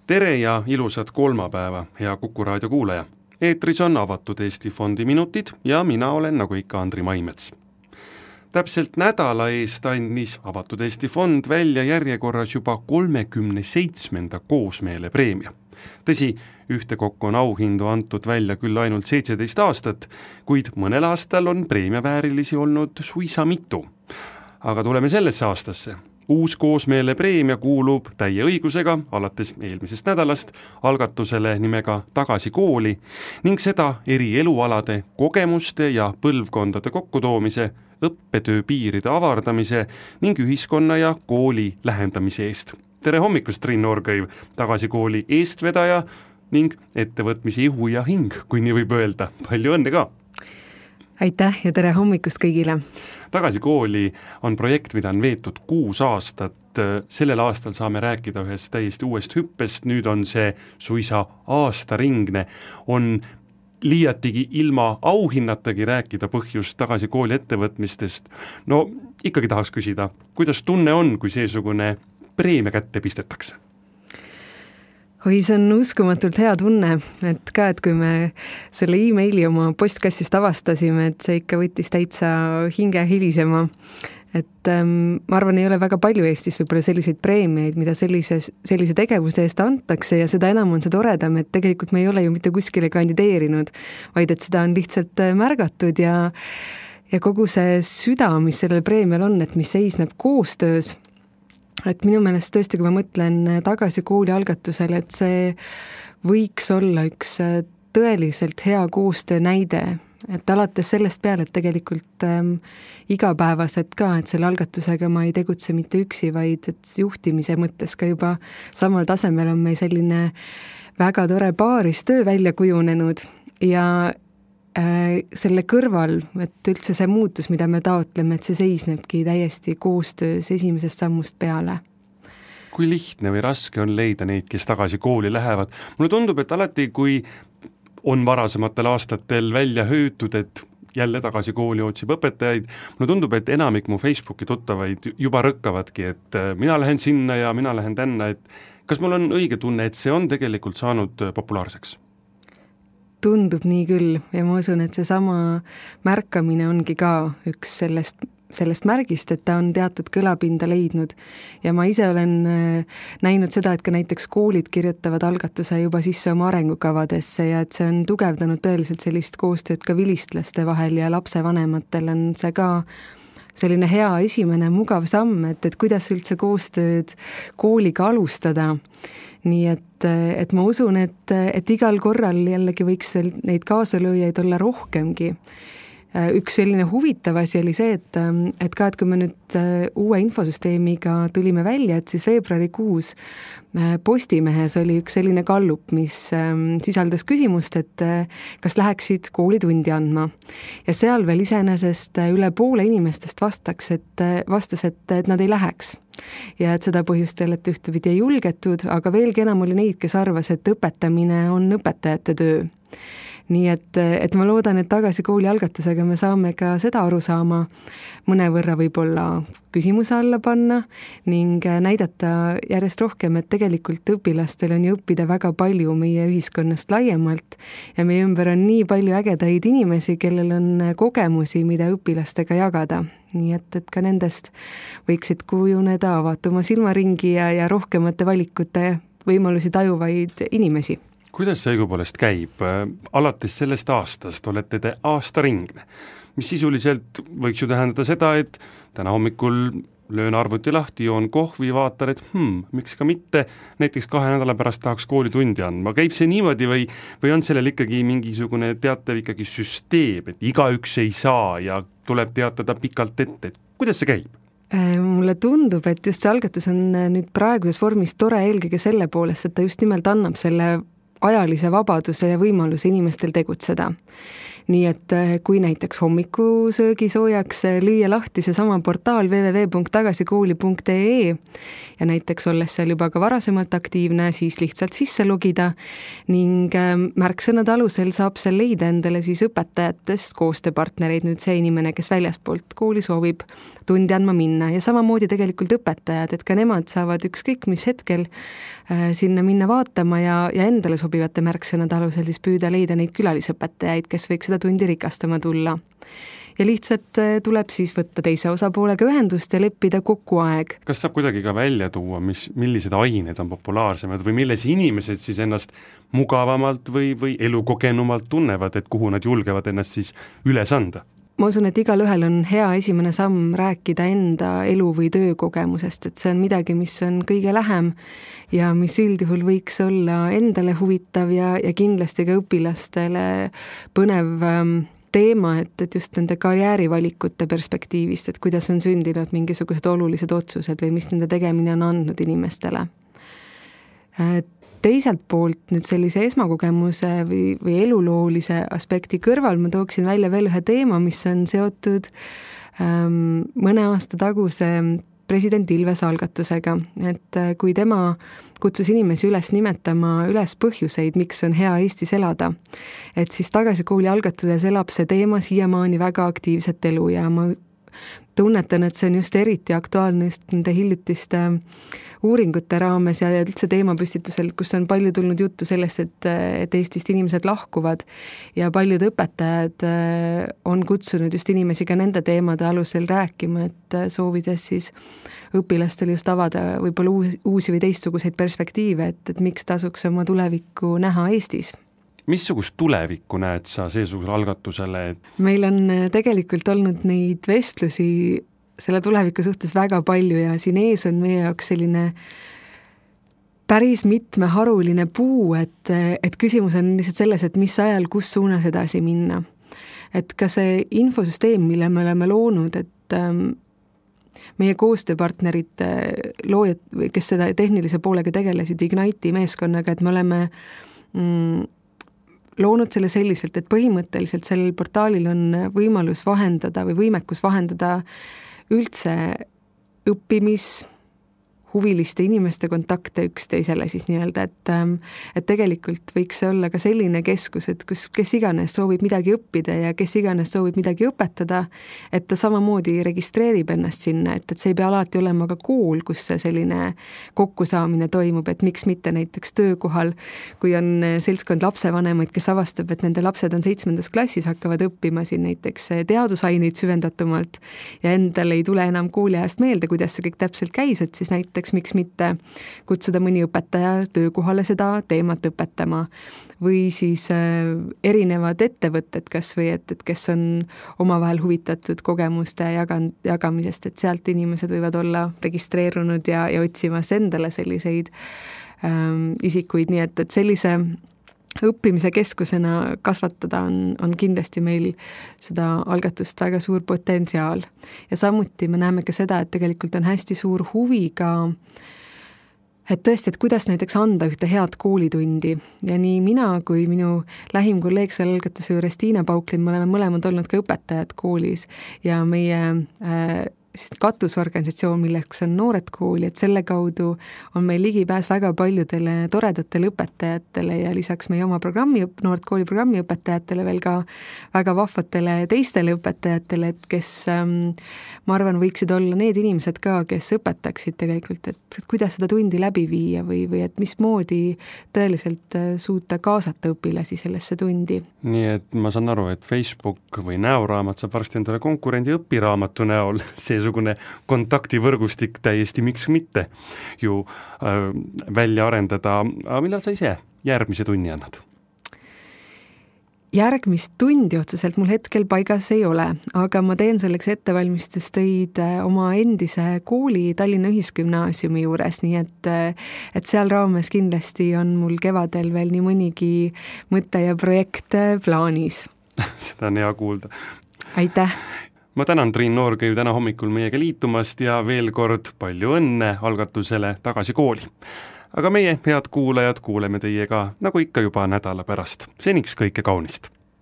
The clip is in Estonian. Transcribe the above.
Tere ja ilusat kolmapäeva, hea Kuku raadio kuulaja. Eetris on avatud Eesti Fondi minutid ja mina olen nagu ikka Andri Maimets. Täpselt nädala eest andis avatud Eesti Fond välja järjekorras juba 37. koosmeele preemia. Tõsi, ühtekokku on auhindu antud välja küll ainult 17 aastat, kuid mõnel aastal on preemiaväärilisi olnud suisa mitu. Aga tuleme sellesse aastasse. Uus koosmeele preemia kuulub täie õigusega alates eelmisest nädalast algatusele nimega Tagasi kooli ning seda eri elualade, kogemuste ja põlvkondade kokkutoomise, õppetöö piiride avardamise ning ühiskonna ja kooli lähendamise eest. Tere hommikust, Triin Noorkõiv, Tagasi kooli eestvedaja ning ettevõtmise ihu ja hing, kui nii võib öelda. Palju õnne ka! Aitäh ja tere hommikust kõigile! Tagasi kooli on projekt, mida on veetud 6 aastat. Sellel aastal saame rääkida ühest täiesti uuest hüppest, nüüd on see suisa aastaringne. On liiatigi ilma auhinnatagi rääkida põhjust Tagasi kooli ettevõtmistest. No ikkagi tahaks küsida, kuidas tunne on, kui seesugune preemia kätte pistetakse? Oi, see on uskumatult hea tunne, et kui me selle e-maili oma postkastist avastasime, et see ikka võttis täitsa hinge hilisema. Et ma arvan, ei ole väga palju Eestis võib-olla selliseid preemiaid, mida sellise tegevuse eest antakse ja seda enam on see toredam, et tegelikult me ei ole ju mitte kuskile kandideerinud, vaid et seda on lihtsalt märgatud ja kogu see süda, mis sellel preemial on, et mis seisneb koostöös. Et minu meelest tõesti, kui ma mõtlen Tagasi kooli algatusele, et see võiks olla üks tõeliselt hea koostöö näide, et alates sellest peale, et tegelikult igapäevaselt ka, et selle algatusega ma ei tegutse mitte üksi, vaid et juhtimise mõttes ka juba samal tasemel on meil selline väga tore paaristöö välja kujunenud ja selle kõrval, et üldse see muutus, mida me taotleme, et see seisnebki täiesti koostöös esimesest sammust peale. Kui lihtne või raske on leida neid, kes Tagasi kooli lähevad? Mulle tundub, et alati, kui on varasematel aastatel välja hüütud, et jälle Tagasi kooli otsib õpetajaid, mulle tundub, et enamik mu Facebooki tuttavaid juba rõkkavadki, et mina lähen sinna ja mina lähen tänna, et kas mul on õige tunne, et see on tegelikult saanud populaarseks? Tundub nii küll ja ma usun, et see sama märkamine ongi ka üks sellest märgist, et ta on teatud kõlapinda leidnud ja ma ise olen näinud seda, et ka näiteks koolid kirjutavad algatuse juba sisse oma arengukavadesse ja et see on tugevdanud tõeliselt sellist koostööd ka vilistlaste vahel ja lapsevanematel on see ka selline hea esimene mugav samm, et kuidas üldse koostööd kooliga alustada. Nii et ma usun, et igal korral jällegi võiks neid kaasalööjaid olla rohkemgi. Üks selline huvitav asi oli see, et kui me nüüd uue infosüsteemiga tulime välja, et siis veebruarikuus Postimehes oli üks selline gallup, mis sisaldas küsimust, et kas läheksid koolitundi andma. Ja seal veel iseenesest üle poole inimestest vastas, et nad ei läheks. Ja et seda põhjustel, et ühtepidi ei julgetud, aga veelgi enam oli neid, kes arvas, et õpetamine on õpetajate töö. Nii et ma loodan, et Tagasi kooli algatusega me saame ka seda aru saama mõnevõrra võib-olla küsimuse alla panna ning näidata järjest rohkem, et tegelikult õpilastel on ju õppida väga palju meie ühiskonnast laiemalt ja meie ümber on nii palju ägedaid inimesi, kellel on kogemusi, mida õpilastega jagada. Nii et ka nendest võiksid kujuneda avatuma silmaringi ja rohkemate valikute võimalusi tajuvaid inimesi. Kuidas see õigupoolest käib? Alates sellest aastast olete te aastaringne, mis sisuliselt võiks ju tähendada seda, et täna hommikul löön arvuti lahti, joon kohvi, vaatan, et miks ka mitte, näiteks 2 nädala pärast tahaks koolitundi andma. Käib see niimoodi või on sellel ikkagi mingisugune teatav ikkagi süsteem, et igaüks ei saa ja tuleb teatada pikalt ette, et kuidas see käib? Mulle tundub, et just see algatus on nüüd praeguses vormis tore eelkõige selle poolest, et ta just nimelt annab selle ajalise vabaduse ja võimaluse inimestel tegutseda. nii et kui näiteks hommikusöögi soojaks lüüa lahti seesama portaal www.tagasikooli.ee ja näiteks olles seal juba ka varasemalt aktiivne, siis lihtsalt sisse logida ning märksõnade alusel saab seal leida endale siis õpetajatest koostööpartnereid, nüüd see inimene, kes väljaspoolt kooli soovib tundi andma minna ja samamoodi tegelikult õpetajad, et ka nemad saavad ükskõik mis hetkel sinna minna vaatama ja endale sobivate märksõnade alusel siis püüda leida neid külalisõpetajaid, kes võiks seda tundi rikastama tulla. Ja lihtsalt tuleb siis võtta teise osapoolega ühendust ja leppida kokku aeg. Kas saab kuidagi ka välja tuua, millised ained on populaarsemad või milles inimesed siis ennast mugavamalt või elukogenumalt tunnevad, et kuhu nad julgevad ennast siis üles anda? Ma usun, et igal ühel on hea esimene samm rääkida enda elu- või töökogemusest, et see on midagi, mis on kõige lähem ja mis üldjuhul võiks olla endale huvitav ja kindlasti ka õpilastele põnev teema, et just nende karjäärivalikute perspektiivist, et kuidas on sündinud mingisugused olulised otsused või mis nende tegemine on andnud inimestele. Teiselt poolt nüüd sellise esmakogemuse või eluloolise aspekti kõrval ma tooksin välja veel ühe teema, mis on seotud mõne aasta taguse president Ilves algatusega, et kui tema kutsus inimesi üles nimetama üles põhjuseid, miks on hea Eestis elada, et siis Tagasikooli algatuses elab see teema siiamaani väga aktiivset elu ja ma tunnetan, et see on just eriti aktuaalne just nende hiljutiste uuringute raames ja üldse teemapüstitusel, kus on palju tulnud juttu sellest, et Eestist inimesed lahkuvad ja paljud õpetajad on kutsunud just inimesi ka nende teemade alusel rääkima, et soovides siis õpilastele just avada võib-olla uusi või teistsuguseid perspektiive, et miks tasuks oma tulevikku näha Eestis. Missugust tulevikku näed sa seesugusele algatusele? Meil on tegelikult olnud neid vestlusi selle tuleviku suhtes väga palju ja siin ees on meie jaoks selline päris mitmeharuline puu, et küsimus on lihtsalt selles, et mis ajal, kus suunas edasi minna. Et ka see infosüsteem, mille me oleme loonud, et meie koostööpartnerid, loojad, kes seda tehnilise poolega tegelesid Ignite'i meeskonnaga, et me oleme loonud selle selliselt, et põhimõtteliselt sellel portaalil on võimalus vahendada või võimekus vahendada üldse huviliste inimeste kontakte üksteisele siis nii-öelda, et tegelikult võiks see olla ka selline keskus, et kes iganes soovib midagi õppida ja kes iganes soovib midagi õpetada, et ta samamoodi registreerib ennast sinna, et see ei pea alati olema ka kool, kus see selline kokkusaamine toimub, et miks mitte näiteks töökohal, kui on seltskond lapsevanemaid, kes avastab, et nende lapsed on 7. klassis, hakkavad õppima siin näiteks teadusaineid süvendatumalt ja endal ei tule enam kooliajast meelde, kuidas see kõik täpselt käis, et siis näiteks miks mitte kutsuda mõni õpetaja töökohale seda teemat õpetama või siis erinevad ettevõtted kas või, et kes on omavahel huvitatud kogemuste jagamisest, et sealt inimesed võivad olla registreerunud ja otsimas endale selliseid isikuid, nii et sellise õppimise keskusena kasvatada on kindlasti meil seda algatust väga suur potentsiaal. Ja samuti me näeme ka seda, et tegelikult on hästi suur huvi ka, et tõesti, et kuidas näiteks anda ühte head koolitundi. Ja nii mina kui minu lähim kolleeg selle algatuse juures Tiina Pauklin, me oleme mõlemad olnud ka õpetajad koolis ja meie siis katusorganisatsioon, milleks on Noored Kooli, et selle kaudu on meil ligipääs väga paljudele toredatele õpetajatele ja lisaks meie oma Noored Kooli programmi õpetajatele veel ka väga vahvatele teistele õpetajatele, et kes ma arvan, võiksid olla need inimesed ka, kes õpetaksid tegelikult, et kuidas seda tundi läbi viia või et mismoodi tõeliselt suuta kaasata õpilasi sellesse tundi. Nii et ma saan aru, et Facebook või näoraamat saab varsti endale konkurendi õpiraamatu näol seesugune kontaktivõrgustik täiesti miks mitte ju välja arendada. Aga millal sa ise järgmise tunni annad? Järgmist tundi otseselt mul hetkel paigas ei ole, aga ma teen selleks ettevalmistustöid oma endise kooli Tallinna Ühisgümnaasiumi juures, nii et seal raames kindlasti on mul kevadel veel nii mõnigi mõte ja projekt plaanis. Seda on hea kuulda. Aitäh! Ma tänan Triin Noorkõiv täna hommikul meiega liitumast ja veel kord palju õnne algatusele Tagasi kooli. Aga meie, head kuulajad, kuuleme teiega nagu ikka juba nädala pärast. Seniks kõike kaunist!